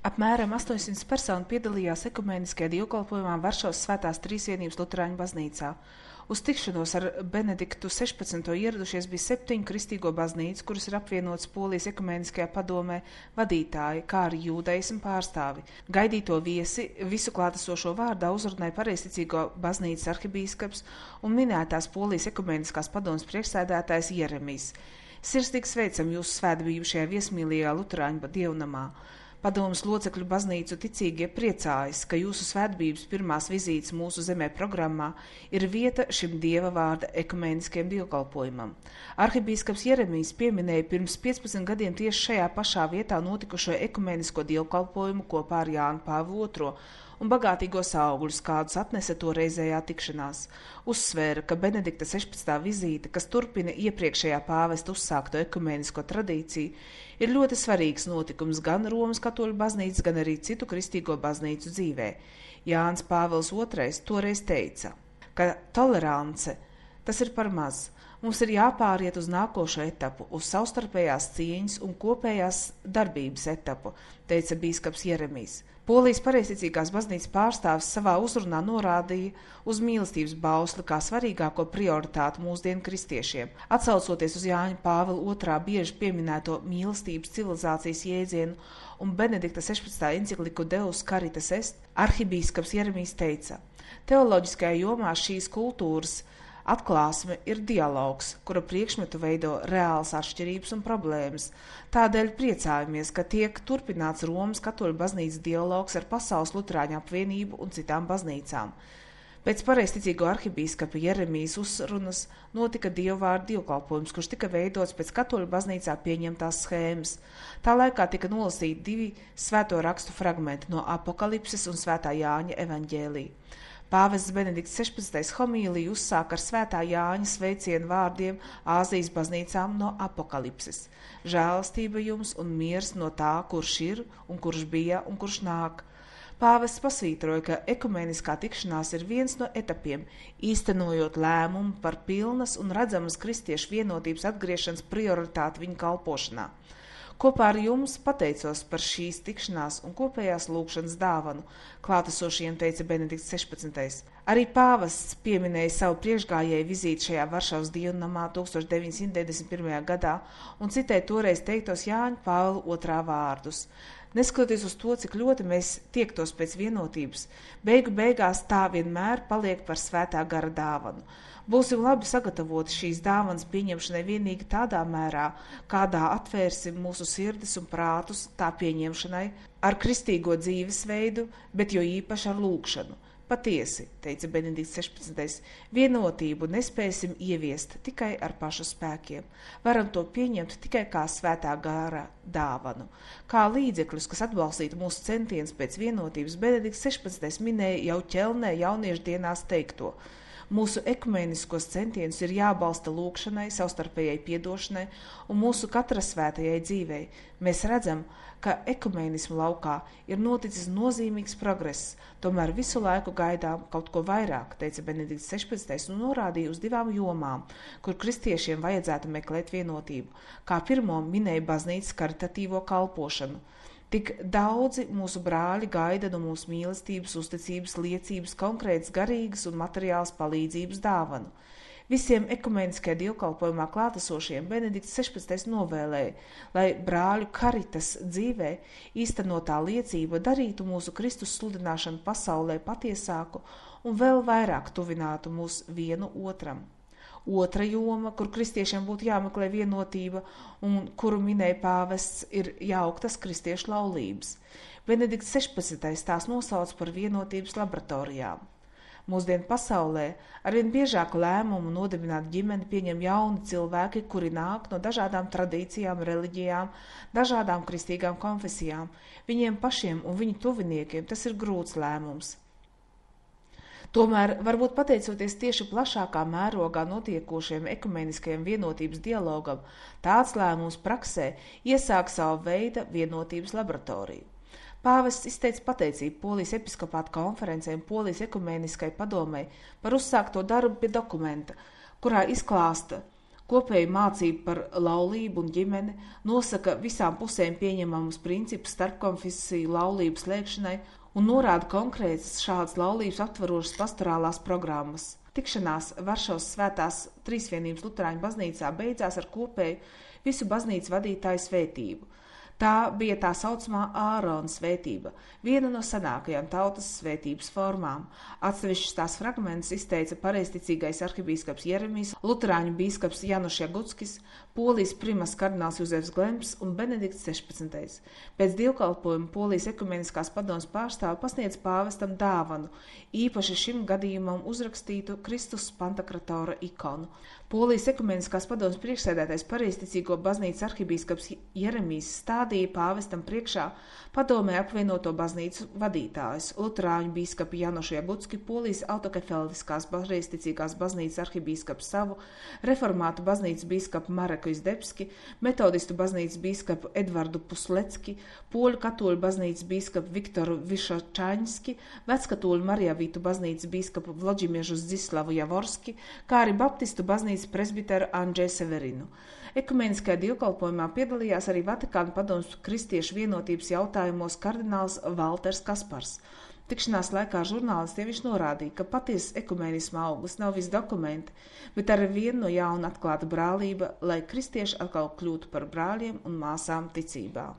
Apmēram 800 personu piedalījās ekumēniskajā dievkalpojumā Varšavas Svētās Trīsvienības Luterāņu baznīcā. Uz tikšanos ar Benediktu 16. ieradušies bija 7 kristīgo baznīcu, kuras ir apvienotas Polijas ekumēniskajā padomē vadītāji, kā arī jūdaismu pārstāvi. Gaidīto viesi visu klātesošo vārdā uzrunāja pareizticīgo baznīcas arhibīskaps un minētās Polijas ekumēniskās padomes priekšsēdētājs Jeremijs. Sirsnīgi sveicam jūsu svētbību šajā viesmīlīgajā Luterāņu dievnamā. Padomes locekļu baznīcu ticīgie priecājas, ka jūsu svētbības pirmās vizītes mūsu zemē programmā ir vieta šim dieva vārda ekumēniskajam dievkalpojumam. Arhibīskaps Jeremijs pieminēja pirms 15 gadiem tieši šajā pašā vietā notikušo ekumēnisko dievkalpojumu kopā ar Jānu Pāvilu II un bagātīgos augļus, kādus atnesa toreizējā tikšanās. Uzsvēra, ka Benedikta 16. vizīte, kas turpina iepriekšējā pāvesta uzsākto ekumēnisko tradīciju, ir ļoti svarīgs notikums gan Romas katoļu baznīcas, gan arī citu kristīgo baznīcu dzīvē. Jānis Pāvils II toreiz teica, ka tolerance tas ir par maz. Mums ir jāpāriet uz nākošo etapu, uz savstarpējās cieņas un kopējās darbības etapu, teica bīskaps Jeremijs. Polijas pareizticīgās baznīcas pārstāvis savā uzrunā norādīja uz mīlestības bausli kā svarīgāko prioritāti mūsdienu kristiešiem. Atsaucoties uz Jāņa Pāvila II bieži pieminēto mīlestības civilizācijas jēdzienu un Benedikta 16. encikliku Deus Caritas Est, arhibīskaps Jeremijs teica, teoloģiskajā jomā šīs kultūras atklāsme ir dialogs, kura priekšmetu veido reāls atšķirības un problēmas. Tādēļ priecājamies, ka tiek turpināts Romas katoļu baznīcas dialogs ar Pasaules Luterāņu apvienību un citām baznīcām. Pēc pareizticīgo arhibīskapa Jeremijas uzrunas notika dievvvārdu dievkalpojums, kurš tika veidots pēc katoļu baznīcā pieņemtās schēmas. Tā laikā tika nolasīti 2 svēto rakstu fragmenti no Apokalipses un Svētā Jāņa evaņģēlija. Pāvests Benedikts 16. homīliju uzsāk ar Svētā Jāņa sveicienu vārdiem Āzijas baznīcām no Apokalipses. Žēlastība jums un miers no tā, kurš ir un kurš bija un kurš nāk. Pāvests pasvītroja, ka ekumēniskā tikšanās ir viens no etapiem, īstenojot lēmumu par pilnas un redzamas kristiešu vienotības atgriešanas prioritāti viņa kalpošanā. Kopā ar jums pateicos par šīs tikšanās un kopējās lūgšanas dāvanu, klātesošiem teica Benedikts 16. Arī pāvests pieminēja savu priekšgājēju vizīti šajā Varšavas dievnamā 1991. gadā un citēja toreiz teiktos Jāņa Pāvila II vārdus. Neskatoties uz to, cik ļoti mēs tiektos pēc vienotības, beigu beigās tā vienmēr paliek par svētā gara dāvanu. Būsim labi sagatavoti šīs dāvanas pieņemšanai vienīgi tādā mērā, kādā atvērsim mūsu sirdis un prātus tā pieņemšanai ar kristīgo dzīvesveidu, bet jo īpaši ar lūgšanu. Patiesi, teica Benedikts 16. Vienotību nespēsim ieviest tikai ar pašu spēkiem. Varam to pieņemt tikai kā svētā gara dāvanu. Kā līdzekļus, kas atbalstītu mūsu centienus pēc vienotības, Benedikts 16. minēja jau Ķelnē jauniešu dienās teikto. Mūsu ekumēniskos centienus ir jābalsta lūgšanai, savstarpējai piedošanai un mūsu katra svētajai dzīvei. Mēs redzam, ka ekumēnismu laukā ir noticis nozīmīgs progress, tomēr visu laiku gaidām kaut ko vairāk, teica Benedikts 16. un norādīja uz 2 jomām, kur kristiešiem vajadzētu meklēt vienotību. Kā pirmo minēja baznīcas karitatīvo kalpošanu. Tik daudzi mūsu brāļi gaida no mūsu mīlestības, uzticības, liecības, konkrētas garīgas un materiālas palīdzības dāvanu. Visiem ekumēniskajā dievkalpojumā klātesošiem Benedikts 16. novēlēja, lai brāļu karitas dzīvē īstenotā liecība darītu mūsu Kristus sludināšanu pasaulē patiesāku un vēl vairāk tuvinātu mūs vienu otram. Otra joma, kur kristiešiem būtu jāmeklē vienotība un kuru minēja pāvests, ir jauktas kristiešu laulības. Benedikts 16. tās nosauc par vienotības laboratorijām. Mūsdienu pasaulē arvien biežāk lēmumu nodibināt ģimeni pieņem jauni cilvēki, kuri nāk no dažādām tradīcijām, reliģijām, dažādām kristīgām konfesijām. Viņiem pašiem un viņu tuviniekiem tas ir grūts lēmums. Tomēr, varbūt pateicoties tieši plašākā mērogā notiekošiem ekumeniskajam vienotības dialogam, tāds lēmums praksē iesāk savu veidu vienotības laboratoriju. Pāvests izteica pateicību Polijas episkopāta konferencei un Polijas ekumeniskai padomei par uzsākto darbu pie dokumenta, kurā izklāsta, Kopēja mācība par laulību un ģimeni, nosaka visām pusēm pieņemamus principus starpkonfesiju laulību slēgšanai un norāda konkrētas šādas laulības aptverošas pastorālās programmas. Tikšanās Varšavas Svētās Trīsvienības Luterāņu baznīcā beidzās ar kopēju visu baznīcas vadītāju svētību. Tā bija tā saucamā Ārona svētība, viena no senākajām tautas svētības formām. Atsevišķus tās fragmentus izteica pareizticīgais arhibīskaps Jeremijs, luterāņu bīskaps Januš Jaguckis, Polijas primas kardināls Juzefs Glemps un Benedikts 16. Pēc dievkalpojuma Polijas ekumeniskās padomes pārstāve pasniedz pāvestam dāvanu, īpaši šim gadījumam uzrakstītu Kristus Pantakratora ikonu. Polijas ekumeniskās padomes priekšsēdētais pareizticīgo baznīcas arhibīskaps Jeremijs stādīja pāvestam priekšā padomē apvienoto baznīcu vadītājus, luterāņu bīskapu Janušu Jagucki, Polijas autokefeldiskās pareizticīgās baznīcas arhibīskapu Savu, reformātu baznīcas bīskapu Mareku Izdebski, metodistu baznīcas bīskapu Edvardu Puslecki, poļu katoļu baznīcas bīskapu Viktoru Višočaņski, veckatoļu Marijavītu baznīcas bīskapu Vlodžimiežu Zdzislavu Javorski, kā arī baptistu baznīcas presbiteru Andžeju Severinu. Ekumeniskajā dievkalpojumā piedalījās arī Vatikāna padomes kristiešu vienotības jautājumos kardināls Valters Kaspars. Tikšanās laikā žurnālistiem viņš norādīja, ka patiesas ekumenisma auglis nav visi dokumenti, bet arī viena no jauna atklāta brālība, lai kristieši atkal kļūtu par brāļiem un māsām ticībā.